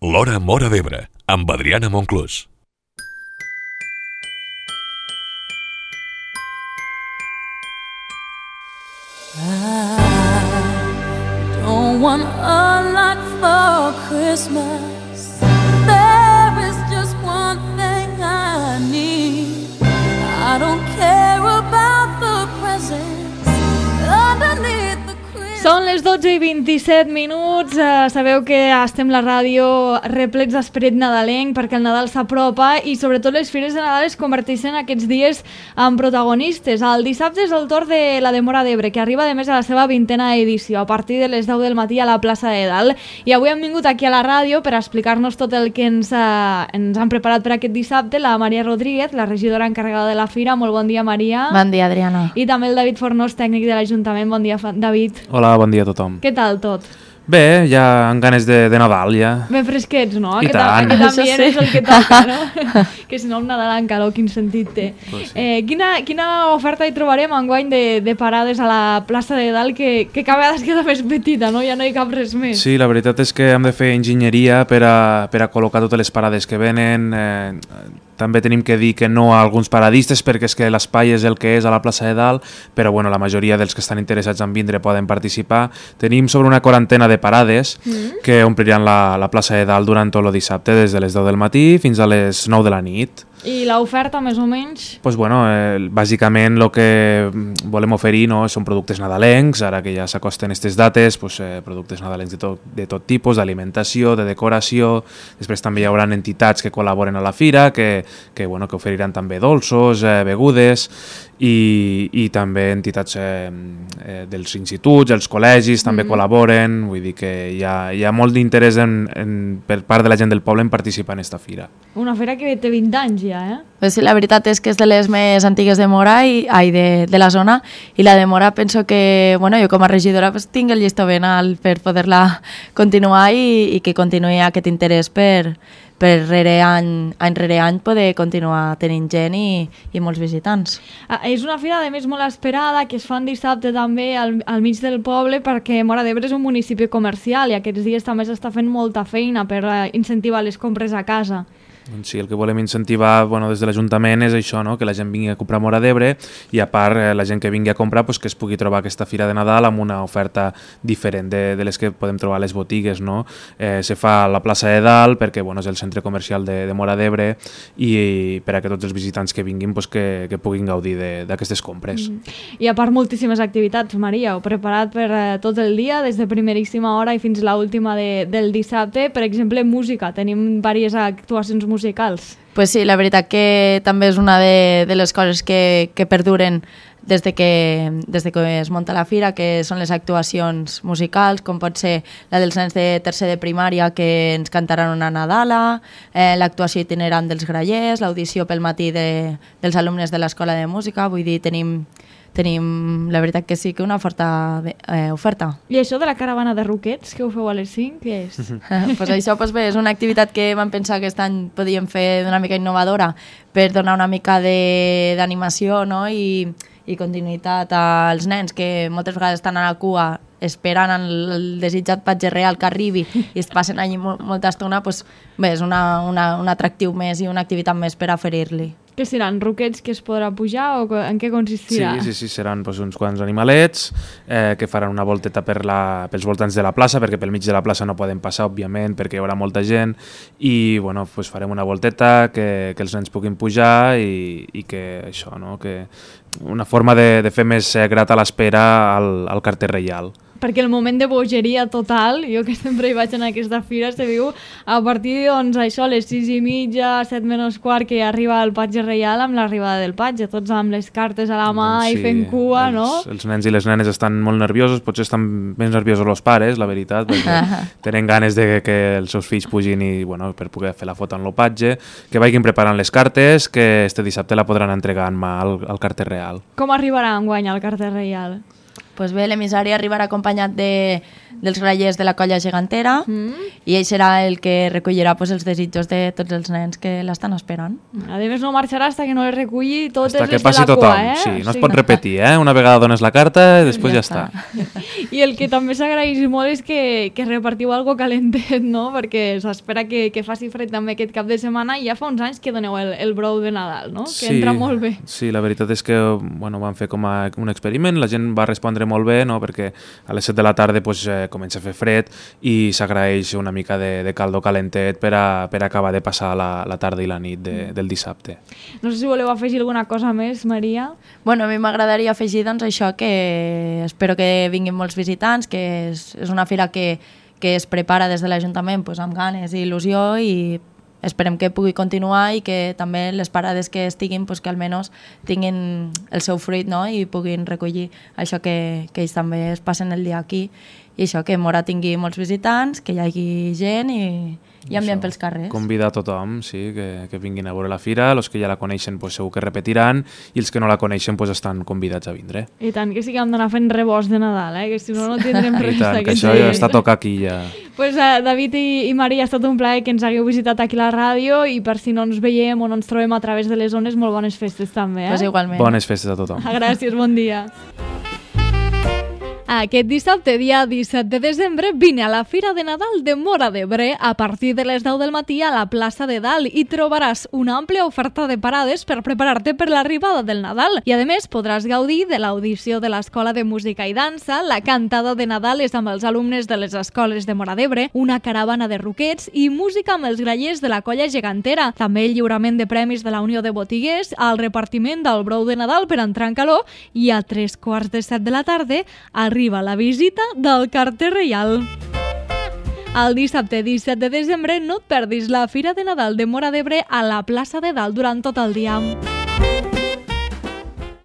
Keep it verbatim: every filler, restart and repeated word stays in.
L'Hora Móra d'Ebre, amb Adriana Monclús. I don't want a lot for Christmas. There is just one thing I need. I don't care about the presents underneath the Christmas. Són les dotze i vint-i-set minuts. Uh, sabeu que estem la ràdio replets d'esperit nadalenc perquè el Nadal s'apropa i sobretot les fires de Nadal es converteixen aquests dies en protagonistes. El dissabte és el torn de la de Móra d'Ebre, que arriba de més a la seva vintena edició a partir de les deu del matí a la plaça de Dalt. I avui hem vingut aquí a la ràdio per explicar-nos tot el que ens, uh, ens han preparat per aquest dissabte la Maria Rodríguez, la regidora encarregada de la fira. Molt bon dia, Maria. Bon dia, Adriana. I també el David Fornós, tècnic de l'Ajuntament. Bon dia, David. Hola, bon dia a tothom. Què tal tot? Bé, ja amb ganes de, de Nadal, ja. Ben fresquets, no? I Aquest, tant. aquest ambient Sí. és el que toca, no? Que si no el Nadal en calor, quin sentit té. Pues sí. eh, quina, quina oferta hi trobarem enguany de, de parades a la plaça de Dalt que, que cada vegada es queda més petita, no? Ja no hi cap res més. Sí, la veritat és que hem de fer enginyeria per a, per a col·locar totes les parades que venen. Eh, també tenim que dir que no a alguns paradistes perquè és que l'espai és el que és a la plaça de Dalt, però bueno, la majoria dels que estan interessats en vindre poden participar. Tenim sobre una quarantena de parades mm. que ompliran la, la plaça de Dalt durant tot el dissabte, des de les deu del matí fins a les nou de la nit. I l'oferta, més o menys? Pues bueno, eh, bàsicament el que volem oferir, no, són productes nadalencs, ara que ja s'acosten aquestes dates, pues, eh, productes nadalencs de tot, de tot tipus, d'alimentació, de decoració. Després també hi haurà entitats que col·laboren a la fira, que, que, bueno, que oferiran també dolços, eh, begudes, i, i també entitats eh, eh, dels instituts, els col·legis també mm-hmm. col·laboren, vull dir que hi ha, hi ha molt d'interès en, en, per part de la gent del poble en participar en aquesta fira. Una fira que té vint anys ja, eh? Pues sí, la veritat és que és de les més antigues de Móra i ai, de, de la zona, i la de Móra penso que, bueno, jo com a regidora pues, tinc el llistó ben alt per poder-la continuar i, i que continuï aquest interès per, per rere any, any rere any poder continuar tenint gent i, i molts visitants. Ah, és una fira, a més, molt esperada, que es fa en dissabte també al, al mig del poble, perquè Móra d'Ebre és un municipi comercial i aquests dies també s'està fent molta feina per uh, incentivar les compres a casa. Sí, el que volem incentivar bueno, des de l'Ajuntament és això, no? Que la gent vingui a comprar a Móra d'Ebre i a part eh, la gent que vingui a comprar pues, que es pugui trobar aquesta fira de Nadal amb una oferta diferent de, de les que podem trobar a les botigues. No? Eh, se fa a la plaça de Dalt perquè bueno, és el centre comercial de, de Móra d'Ebre i, i per a que tots els visitants que vinguin pues, que, que puguin gaudir d'aquestes compres. Mm. I a part moltíssimes activitats, Maria, heu preparat per eh, tot el dia, des de primeríssima hora i fins a l'última de, del dissabte. Per exemple, música, tenim diverses actuacions musicals musicals. Pues sí, la veritat que també és una de, de les coses que, que perduren des de que, des de que es munta la fira, que són les actuacions musicals, com pot ser la dels nens de tercer de primària que ens cantaran una Nadala, eh, l'actuació itinerant dels grallers, l'audició pel matí de, dels alumnes de l'Escola de Música, vull dir, tenim tenim, la veritat que sí, que una forta eh, oferta. I això de la caravana de roquets que ho feu a les cinc, què és? pues això pues bé, és una activitat que vam pensar que aquest any podíem fer d'una mica innovadora per donar una mica d'animació, no? I, i continuïtat als nens que moltes vegades estan a la cua esperant el desitjat patge real que arribi i es passen allí molta estona, pues, bé, és una, una, un atractiu més i una activitat més per oferir-li. Què seran, roquets que es podrà pujar o en què consistirà? Sí, sí, sí, seran pues, uns quants animalets eh, que faran una volteta per la, pels voltants de la plaça, perquè pel mig de la plaça no poden passar, òbviament, perquè hi haurà molta gent, i bueno, pues, farem una volteta que, que els nens puguin pujar i, i que això, no? Que una forma de, de fer més grata l'espera al, al carter reial. Perquè el moment de bogeria total, jo que sempre hi vaig en aquesta fira, se viu a partir doncs, això, les sis i mitja, set menys quart, que arriba el patge reial amb l'arribada del patge, tots amb les cartes a la mà doncs sí, i fent cua, els, no? Els nens i les nenes estan molt nerviosos, potser estan més nerviosos els pares, la veritat, perquè tenen ganes de que els seus fills pugin i, bueno, per poder fer la foto en el patge, que vagin preparant les cartes, que este dissabte la podran entregar en mà al, al carter real. Com arribarà enguany al carter reial? Pues bé, l'emissari arribarà acompanyat de, dels grallers de la colla gegantera mm. i ell serà el que recollirà pues, els desitjos de tots els nens que l'estan esperant. A més, no marxarà fins que no les reculli totes hasta les que passi de la tothom. cua, eh? Sí, no sí. es pot repetir, eh? Una vegada dones la carta i després ja, ja està. està. I el que també s'agraeix molt és que, que repartiu algo calentet, no? Perquè s'espera que, que faci fred també aquest cap de setmana i ja fa uns anys que doneu el, el brou de Nadal, no? Que sí, entra molt bé. Sí, la veritat és que bueno, van fer com a un experiment, la gent va respondre molt bé, no? Perquè a les set de la tarda pues, eh, comença a fer fred i s'agraeix una mica de, de caldo calentet per a, per a acabar de passar la, la tarda i la nit de, del dissabte. No sé si voleu afegir alguna cosa més, Maria. Bueno, a mi m'agradaria afegir doncs, això, que espero que vinguin molts visitants, que és, és una fira que, que es prepara des de l'Ajuntament pues, amb ganes i il·lusió i esperem que pugui continuar i que també les parades que estiguin pues, que almenys tinguin el seu fruit, no? I puguin recollir això que, que ells també es passen el dia aquí i això, que Móra tingui molts visitants, que hi hagi gent i, i ambient pels carrers. Convidar a tothom, sí, que, que vinguin a veure la fira, els que ja la coneixen pues, segur que repetiran i els que no la coneixen pues, estan convidats a vindre. I tant, que sí que hem d'anar fent rebost de Nadal, eh? Que si no no tindrem res. I tant, que això ja està a tocar aquí ja. Pues, uh, David i, i Maria, ha estat un plaer que ens hagueu visitat aquí a la ràdio i per si no ens veiem o no ens trobem a través de les zones, molt bones festes també, eh? Pues igualment. Bones festes a tothom. Gràcies, bon dia. Aquest dissabte, dia disset de desembre, vine a la Fira de Nadal de Móra d'Ebre a partir de les deu del matí a la plaça de Dalt i trobaràs una àmplia oferta de parades per preparar-te per l'arribada del Nadal. I a més podràs gaudir de l'audició de l'Escola de Música i Dansa, la cantada de Nadal és amb els alumnes de les escoles de Móra d'Ebre, una caravana de roquets i música amb els grallers de la colla gegantera. També el lliurament de premis de la Unió de Botiguers, el repartiment del brou de Nadal per entrar en calor i a tres quarts de set de la tarda arriba la visita del carter reial. El dissabte disset de desembre no et perdis la Fira de Nadal de Móra d'Ebre a la plaça de Dalt durant tot el dia.